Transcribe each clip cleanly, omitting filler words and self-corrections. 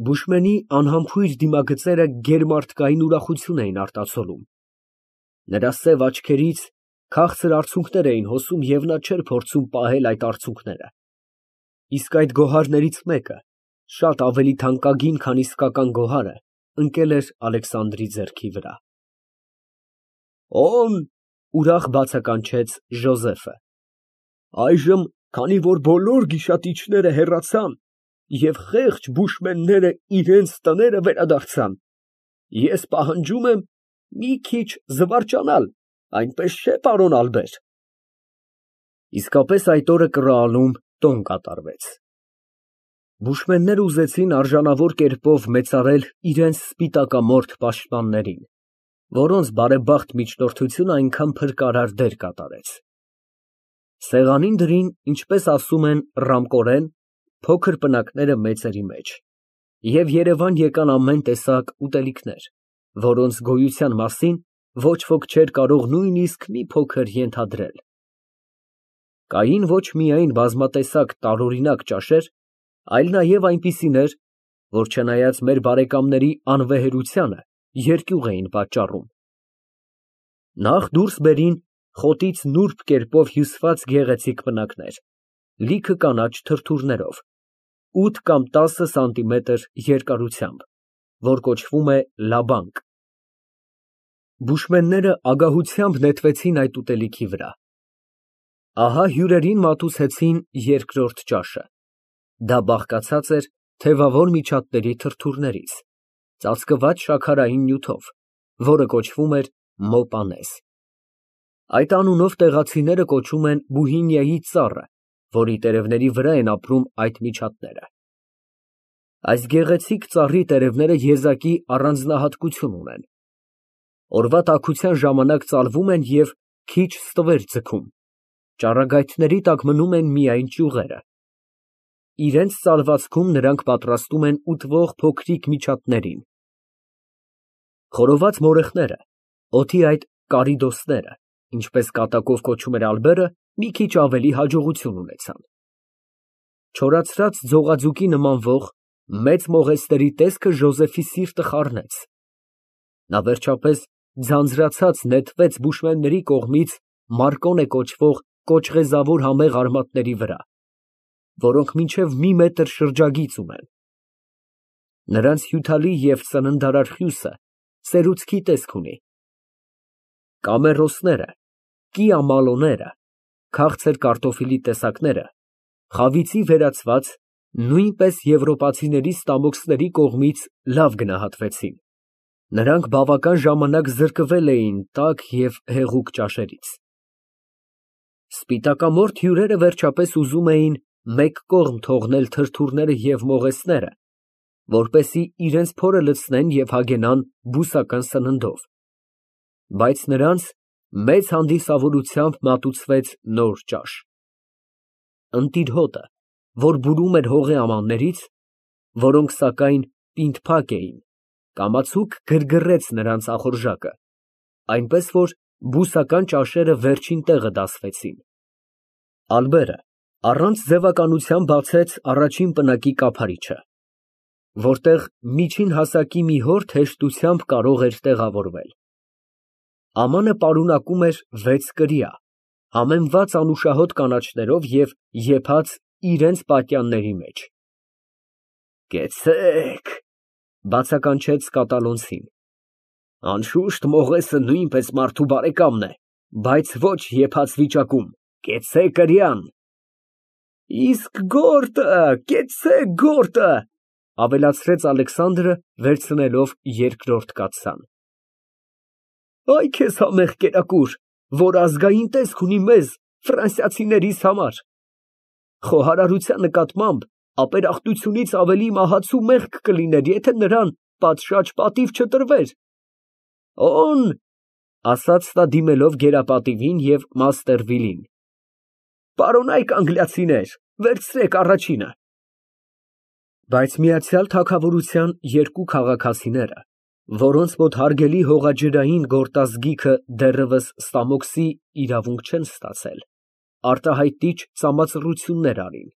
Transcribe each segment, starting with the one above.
Բուշմենի անհամբույր դիմագծերը գերմարդկային ուրախություն էին արտացոլում, նրա սև աչքերից քաղցր արցունքներ էին հոսում և նա չէր փորձում պահել այդ արցունքները, իսկ այդ գոհարներից մեկը, շատ ավելի թանկագին, քան իսկական գոհարը, ընկել էր Ալեքսանդրի ձեռքի վրա։ ֊ Օն, ուրախ բացականչեց Ժոզեֆը, այժմ, քանի որ բոլոր գիշատիչները հեռացան և խեղճ բուշմենները իրանց տները վերադարձան, ես պահանջում եմ մի քիչ զվարճանալ, այնպես չէ՞, պարոն Ալբեր։ Իսկապես այդ օրը Կռահալում տոն կատարվեց։ Բուշմենները ուզեցին արժանավոր կերպով մեծարել իրենց սպիտակամորթ պաշտպաններին, որոնց բարեբախտ միջնորդությունը այնքան փրկարար դեր կատարեց։ Սեղանին դրին, ինչպես ասում են ռամկորեն, փոքր պնակները մեծերի մեջ, և երևան եկան ամեն տեսակ ուտելիքներ, որոնց գոյության մասին ոչ ոք չէր կարող նույնիսկ մի փոքր ենթադրել։ Կային ոչ միայն բազմատեսակ տարօրինակ ճաշեր, այլ նաև այնպիսիներ, որ չնայած մեր բարեկամների անվեհերությանը, երկյուղ էին պատճառում։ Նախ դուրս բերին խոտից նուրբ կերպով հյուսված գեղեցիկ պնակներ, լիքը կանաչ թրթուրներով, 8 կամ 10 սանտիմետր երկարությամբ, որ կոչվում է լաբանկ։ Բուշմենները ագահությամբ նետվեցին այդ ուտելիքի վրա։ Ահա հյուրերին մատուցեցին երկրորդ ճաշը. դա բաղկացած էր թևավոր միջատների թրթուրներից, ծածկված շաքարային նյութով, որը կոչվում էր մոպանեզ։ Այդ անունով տեղացիները կոչում են Բուհինիայի ծառը, որի տերևների վրա են ապրում այդ միջատները։ Այս գեղեցիկ ծառի տերևները եզակի առանձնահատկություն ունեն։ Օրվա տաքության ժամանակ ծալվում են և քիչ ստվեր ձգում, ճառագայթների տակ մնում են միայն ճյուղերը։ Իրենց ծալվածքում նրանք պատրաստում են ուտվող փոքրիկ միջատներին։ Խորոված մորեխները, օդի այդ կարիդոսները, ինչպես կատակով կոչում էր Ալբերը, մի քիչ ավելի հաջողություն ունեցան։ Չորացրած ձողաձուկի նմանվող մեծ մողեսների տեսքը Ժոզեֆի սիրտը խառնեց։ Նա վերջապես ձանձրացած նետվեց բուշմենների կողմից Մարկոնե կոչվող կոճղեզավոր համեղ արմատների վրա, որոնք մինչև մի մետր շրջագիծ ունեն։ Նրանց հյութալի և սննդարար խյուսը սերուցքի տեսք ունի։ Կամերոսները, կիամալոները, քաղցր կարտոֆիլի տեսակները, խավիցի վերածված, նույնպես եվրոպացիների ստամոքսների կողմից լավ գնահատվեցին։ Նրանք բավական ժամանակ զրկվել էին տաք և հեղուկ ճաշերից։ Սպիտակամորթ հյուրերը վերջապես ուզում էին մեկ կողմ թողնել թրթուրները և մողեսները, որպեսզի իրենց փորը լցնեն և հագենան բուսական սննդով, բայց նրանց մեծ հանդիսավորությամբ մատուցվեց նոր ճաշ։ Ընտիր հոտը, որ բուրում էր հողի ամաններից, որոնք, սակայն, պինդ֊փակ էին, կամացուկ գրգռեց նրանց ախորժակը, այնպես որ բուսական ճաշերը վերջին տեղը դասվեցին։ Ալբերը առանց ձևականության բացեց առաջին պնակի կափարիչը, որտեղ միջին հասակի մի հորթ հեշտությամբ կարող էր տեղավորվել։ Ամանը պարունակում էր 6 կրիա, համեմված անուշահոտ կանաչներով և եփած իրենց պատյանների մեջ։ «Կեցցե՛ք», բացականչեց կատալոնցին։ «Անշուշտ մողեսը նույնպես մարդու բարեկամն է, բայց ոչ եփած վիճակում, կեցցե՛ք կրիան»։ «Իսկ գորտը, կեցցե՛ք գորտը», ավելացրեց Ալեքսանդրը, վերցնելով երկրորդ կաթսան։ «Այ քեզ համեղ կերակուր, որ ազգային տեսք ունի մեզ, ֆրանսիացիներիս համար։ Խոհարարության նկատմամբ ապերախտությունից ավելի մահացու մեղք կլիներ, եթե նրան պատշաճ պատիվ չտրվեր»։ «Օն», ասաց նա դիմելով գերապատիվին և մաստեր Վիլին, «պարոնայք անգլիացիներ, վերցրեք առաջինը»։ Բայց միացյալ թագավորության երկու քաղաքացիները, որոնց մոտ հարգելի հողաջրային գորտազգիքը դեռևս ստամոքսի իրավունք չեն ստացել, արտահայտիչ ծամածռություններ արին։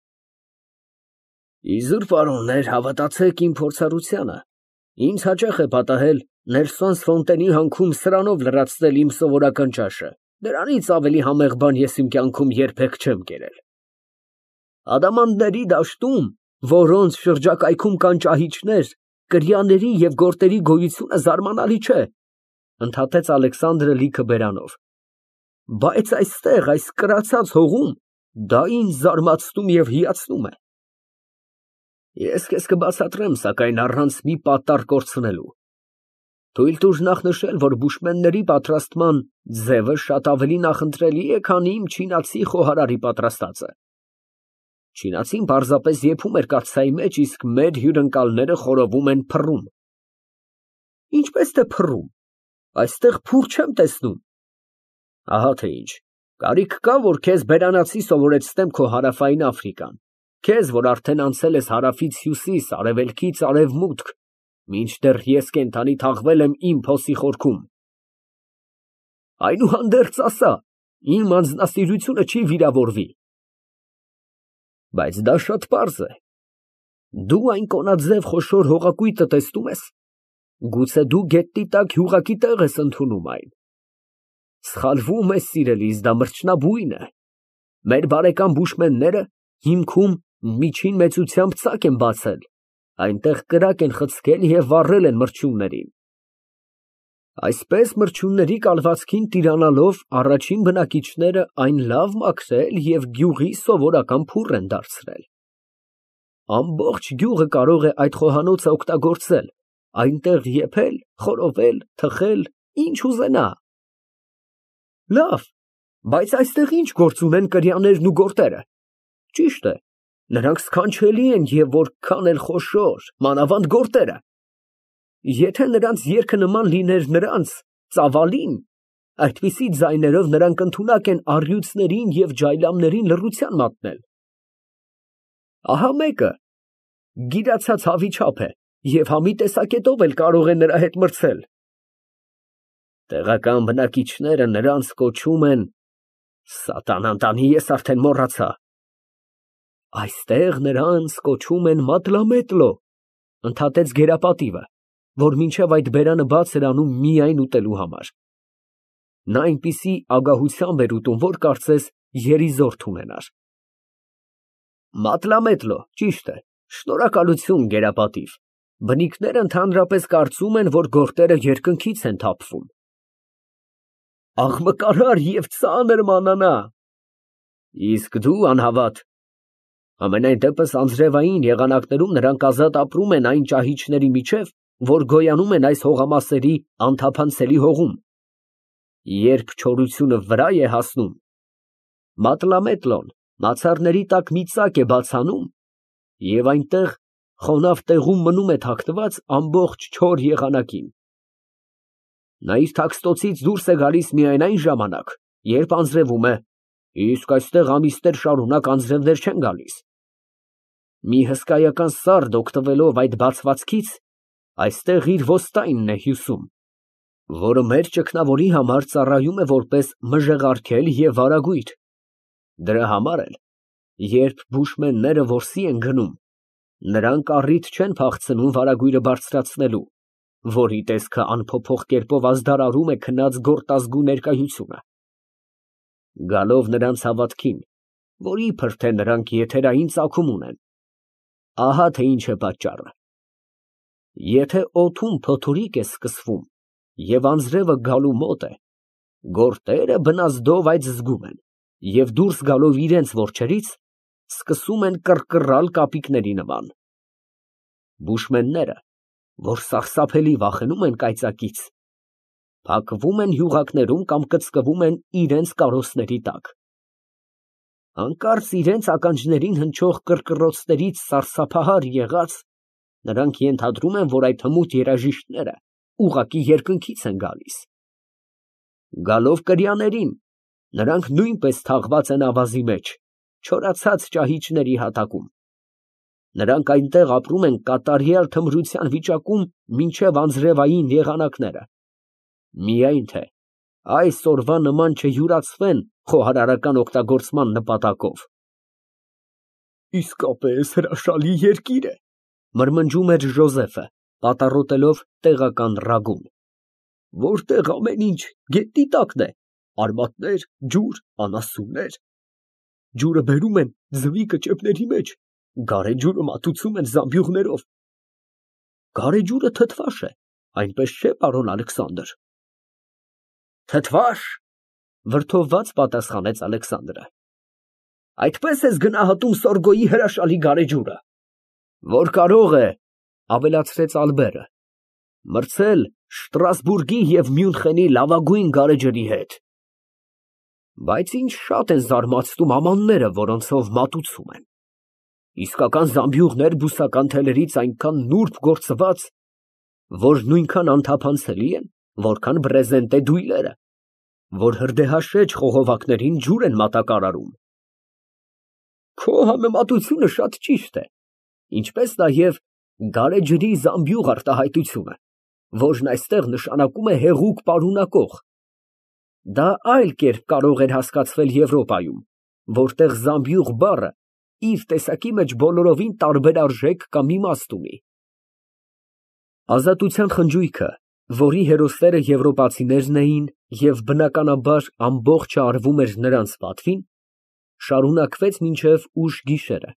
Իզուր պարոններ, հավատացեք իմ փորձառությանը։ Ինձ հաճախ է պատահել Նելսոն Ֆոնտենի հանքում սրանով լրացնել իմ սովորական ճաշը։ Դրանից ավելի համեղ բան ես իմ կյանքում երբեք չեմ կերել։ Ադամանդների դաշտում, որոնց շրջակայքում կան ճահիճներ, կրյաների և գորտերի գոյությունը զարմանալի չէ, ընդհատեց Ալեքսանդրը լիքը բերանով։ Բայց այստեղ, այս կրացած հողում, դա ինձ զարմացնում և հիացնում է։ Ես քեզ կբացատրեմ, սակայն առանց մի պատառ կորցնելու։ Թույլ տուր նախ նշել, որ բուշմենների պատրաստման ձևը շատ ավելի նախընտրելի է, քան իմ չինացի խոհարարի պատրաստածը։ Չինացին պարզապես եփում էր կաթսայի մեջ, իսկ մեր հյուրընկալները խորովում են փռում։ Ինչպես թե փռում, այստեղ փուր չեմ տեսնում։ Ահա թե ինչ, կարիք կա, որ քեզ բերանացի սովորեցնեմ քո հարավային Աֆրիկան, քեզ, որ արդեն անցել ես հարավից հյուսիս, արևելքից արևմուտք, մինչդեռ ես կենդանի թաղվել եմ իմ փոսի խորքում։ Այնուհանդերձ ասա, իմ անձնասիրությունը չի վիրավորվի։ Բայց դա շատ պարզ է։ Դու այն կոնաձև խոշոր հողակույտը տեսնում ես։ Գուցե դու գետնի տակ հյուղակի տեղ ես ընդունում այն։ Սխալվում ես, սիրելիս, դա մրջնաբույն է։ Մեր բարեկամ բուշմենները հիմքում միջին մեծությամբ ծակ են բացել, այնտեղ կրակ են խցկել և վառել են մրջյուններին։ Այսպես մրջյունների կալվածքին տիրանալով առաջին բնակիչները այն լավ մաքրել և գյուղի սովորական փուռ են դարձրել։ Ամբողջ գյուղը կարող է այդ խոհանոցը օգտագործել, այնտեղ եփել, խորովել, թխել, ինչ ուզենա։ Լավ, բայց այստեղ ինչ գործ ունեն կրյաներն ու գորտերը։ Ճիշտ է, նրանք սքանչելի են և որքան էլ խոշոր, մանավանդ գորտերը։ Եթե նրանց երգը նման լիներ նրանց ծավալին, այդպիսի ձայներով նրանք ընդունակ են առյուծներին և ջայլամներին լռության մատնել։ Ահա մեկը գիրացած հավի չափ է և համի տեսակետով էլ կարող է նրա հետ մրցել։ Տեղական բնակիչները նրանց կոչում են սատանան տանի, ես արդեն մոռացա։ Այստեղ նրանց կոչում են մատլամետլո, ընդհատեց գերապատիվը, որ մինչև այդ բերանը բաց էր անում միայն ուտելու համար։ Նա այնպիսի ագահությամբ էր ուտում, որ կարծես երիզորդ ունենար։ Մատլամետլո, ճիշտ է, շնորհակալություն գերապատիվ։ Բնիկները ընդհանրապես կարծում են, որ գորտերը երկնքից են թափվում։ Աղմկարար և ծանր մանանա։ Իսկ դու անհավատ։ Համենայն դեպս անձրևային եղանակներում նրանք ազատ ապրում են այն ճահիճների միջև, որ գոյանում են այս հողամասերի անթափանցելի հողում։ Երբ չորությունը վրա է հասնում, մատլամետլոն մացառների տակ մի ծակ է բաց անում, և այնտեղ խոնավ տեղում մնում է թաքնված ամբողջ չոր եղանակին։ Նա իր թաքստոցից դուրս է գալիս միայն այն ժամանակ, երբ անձրևում է, իսկ այստեղ ամիսներ շարունակ անձրևներ չեն գալիս։ Մի հսկայական սարդ օգտվելով այդ բացվածքից, այստեղ իր ոստայնն է հյուսում, որը մեր ճգնավորի համար ծառայում է որպես մժեղարգել և վարագույր։ Դրա համար էլ, երբ բուշմենները որսի են գնում, նրանք առիթ չեն փախցնում վարագույրը բարձրացնելու, որի տեսքը անփոփոխ կերպով ազդարարում է քնած գորտազգու ներկայությունը։ Գալով նրանց հավատքին, որ իբր թե նրանք եթերային ծագում ունեն, ահա թե ինչ է պատճառը։ Եթե օդում փոթորիկ է սկսվում և անձրևը գալու մոտ է, գորտերը բնազդով այդ զգում են և դուրս գալով իրենց որջերից, սկսում են կռկռալ կապիկների նման։ Բուշմենները, որ սարսափելի վախենում են կայծակից, փակվում են յուղակներում կամ կծկվում են իրենց կարոսների տակ։ Հանկարծ իրենց ականջներին հնչող կռկռոցներից սարսափահար եղած, նրանք ենթադրում են, որ այդ հմուտ երաժիշտները ուղղակի երկնքից են գալիս։ Գալով կրյաներին, նրանք նույնպես թաղված են ավազի մեջ, չորացած ճահիճների հատակում։ Նրանք այնտեղ ապրում են կատարյալ թմրության վիճակում մինչև անձրևային եղանակները։ Միայն թե այս օրվա նման չյուրացվեն խոհարարական օգտագործման նպատակով։ Իսկապես հրաշալի երկիր է, մրմնջում էր Ժոզեֆը, պատառոտելով տեղական ռագուն, որտեղ ամեն ինչ գետնի տակն է, արմատներ, ջուր, անասուններ, ջուրը բերում են ձվի կճեպների մեջ, գարեջուրը մատուցում են զամբյուղներով։ Գարեջուրը թթվաշ է, այնպես չէ, պարոն Ալեքսանդր։ Թթվաշ, վրդովված պատասխանեց Ալեքսանդրը։ Այդպես ես գնահատում Սորգոյի հրաշալի գարեջուրը, որ կարող է, ավելացրեց Ալբերը, մրցել Շտրասբուրգի և Մյունխենի լավագույն գարեջրի հետ։ Բայց ինձ շատ են զարմացնում ամանները, որոնցով մատուցում են։ Իսկական զամբյուղներ բուսական թելերից այնքան նուրբ գործված, որ նույնքան անթափանցելի են, որքան բրեզենտե դույլերը, որ հրդեհաշեջ խողովակներին ջուր են մատակարարում։ Քո համեմատությունը շատ ճիշտ է, ինչպես նաև գարեջրի զամբյուղ արտահայտությունը, որն այստեղ նշանակում է հեղուկ պարունակող։ Դա այլ կերպ կարող էր հասկացվել Եվրոպայում, որտեղ զամբյուղ բառը իր տեսակի մեջ բոլորովին տարբեր արժեք կամ իմաստ ունի։ Ազատության խնջույքը, որի հերոսները եվրոպացիներն էին և բնականաբար ամբողջը արվում էր նրանց պատվին, շարունակվեց մինչև ուշ գիշերը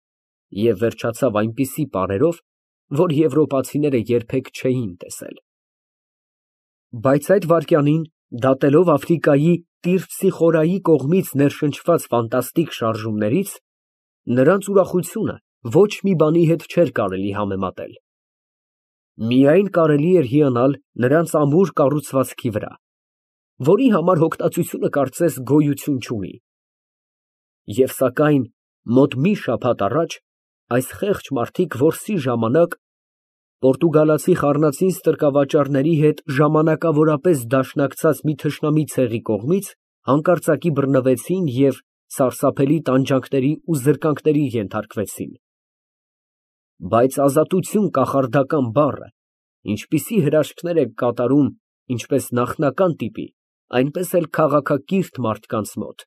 և վերջացավ այնպիսի պարերով, որ եվրոպացիները երբեք չէին տեսել։ Բայց այդ վայրկյանին, դատելով Աֆրիկայի Տիրպցի խորայի կողմից ներշնչված ֆանտաստիկ շարժումներից, նրանց ուրախությունը ոչ մի բանի հետ չէր կարելի համեմատել։ Միայն կարելի էր հիանալ նրանց ամուր կառուցվածքի վրա, որի համար հոգտածությունը կարծես գոյություն չունի։ Եվ սակայն մոտ մի շաբաթ առաջ այս խեղճ մարդիկ որսի ժամանակ պորտուգալացի խառնածին ստրկավաճառների հետ ժամանակավորապես դաշնակցած մի թշնամի ցեղի կողմից հանկարծակի բռնվեցին և սարսափելի տանջանքների ու զրկանքների ենթարկվեցին։ Բայց ազատություն կախարդական բառը ինչպիսի հրաշքներ է կատարում ինչպես նախնական տիպի, այնպես էլ քաղաքակիրթ մարդկանց մոտ։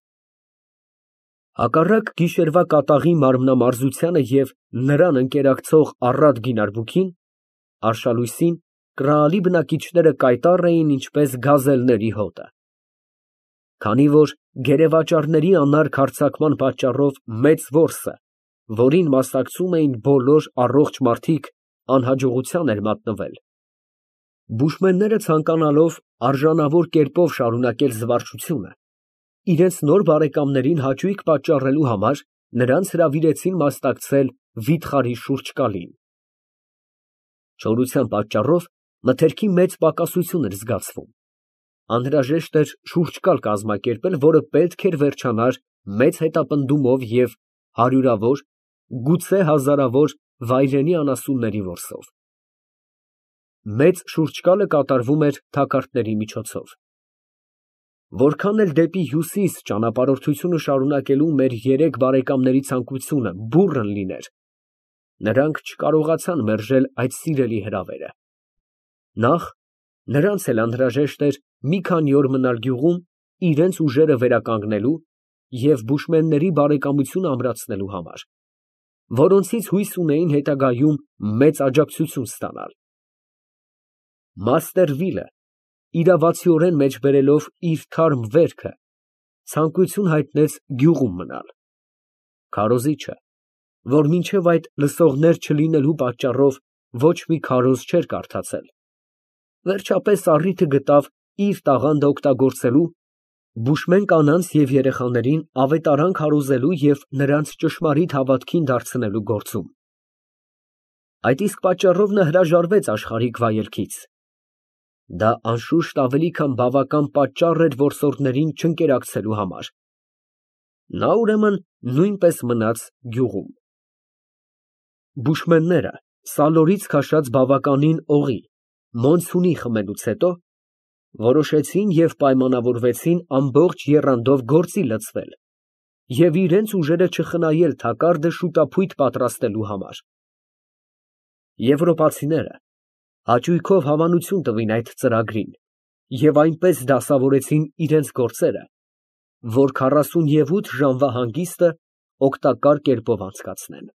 Հակառակ գիշերվա կատաղի մարմնամարզությանը և նրան ընկերակցող առատ գինարբուքին, արշալույսին կռահալի բնակիչները կայտառ էին ինչպես գազելների հոտը։ Քանի որ գերեվաճառների անարգ հարձակման պատճառով մեծ որսը, որին մասնակցում էին բոլոր առողջ մարդիկ, անհաջողության էր մատնվել, բուշմենները ցանկանալով արժանավոր կերպով շարունակել զվարճությունը, իրենց նոր բարեկամներին հաճույք պատճառելու համար նրանց հրավիրեցին մասնակցել վիթխարի շուրջկալին։ Չորության պատճառով մթերքի մեծ պակասություն էր զգացվում։ Անհրաժեշտ էր շուրջկալ կազմակերպել, որը պետք էր վերջանար մեծ հետապնդումով և հարյուրավոր, գուցե հազարավոր վայրենի անասունների որսով։ Մեծ շուրջկալը կատարվում էր թակարդների միջոցով։ Որքան էլ դեպի հյուսիս ճանապարհորդությունը շարունակելու մեր երեք բարեկամների ցանկությունը բուռն լիներ, նրանք չկարողացան մերժել այդ սիրելի հրավերը։ Նախ, նրանց էլ անհրաժեշտ էր մի քանի օր մնալ գյուղում իրենց ուժերը վերականգնելու և բուշմենների բարեկամությունը ամրացնելու համար, որոնցից հույս ունեին հետագայում մեծ աջակցություն ստանալ։ Մաստեր Վիլը, իրավացիորեն մեջբերելով իր թարմ վերքը, ցանկություն հայտնեց գյուղում մնալ։ Քարոզիչը, որ մինչև այդ լսողներ չլինելու պատճառով ոչ մի քարոզ չէր կարդացել, վերջապես առիթը գտավ իր տաղանդը օգտագործելու բուշմեն կանանց և երեխաներին ավետարան քարոզելու և նրանց ճշմարիտ հավատքին դարձնելու գործում։ Այդ իսկ պատճառով նա հրաժարվեց աշխարհիկ վայելքից։ Դա անշուշտ ավելի քան բավական պատճառ էր որսորդներին չընկերակցելու համար։ Նա ուրեմն նույնպես մնաց գյուղում։ Բուշմենները սալորից քաշած բավականին օղի, մոնսունի խմելուց հետո որոշեցին և պայմանավորվեցին ամբողջ եռանդով գործի լցվել և իրենց ուժերը չխնայել թակարդը շուտափույթ պատրաստելու համար։ Եվրոպացիները հաճույքով հավանություն տվին այդ ծրագրին և այնպես դասավորեցին իրենց գործերը, որ 48 ժամվա հանգիստը օգտակար կերպով անցկացնեն։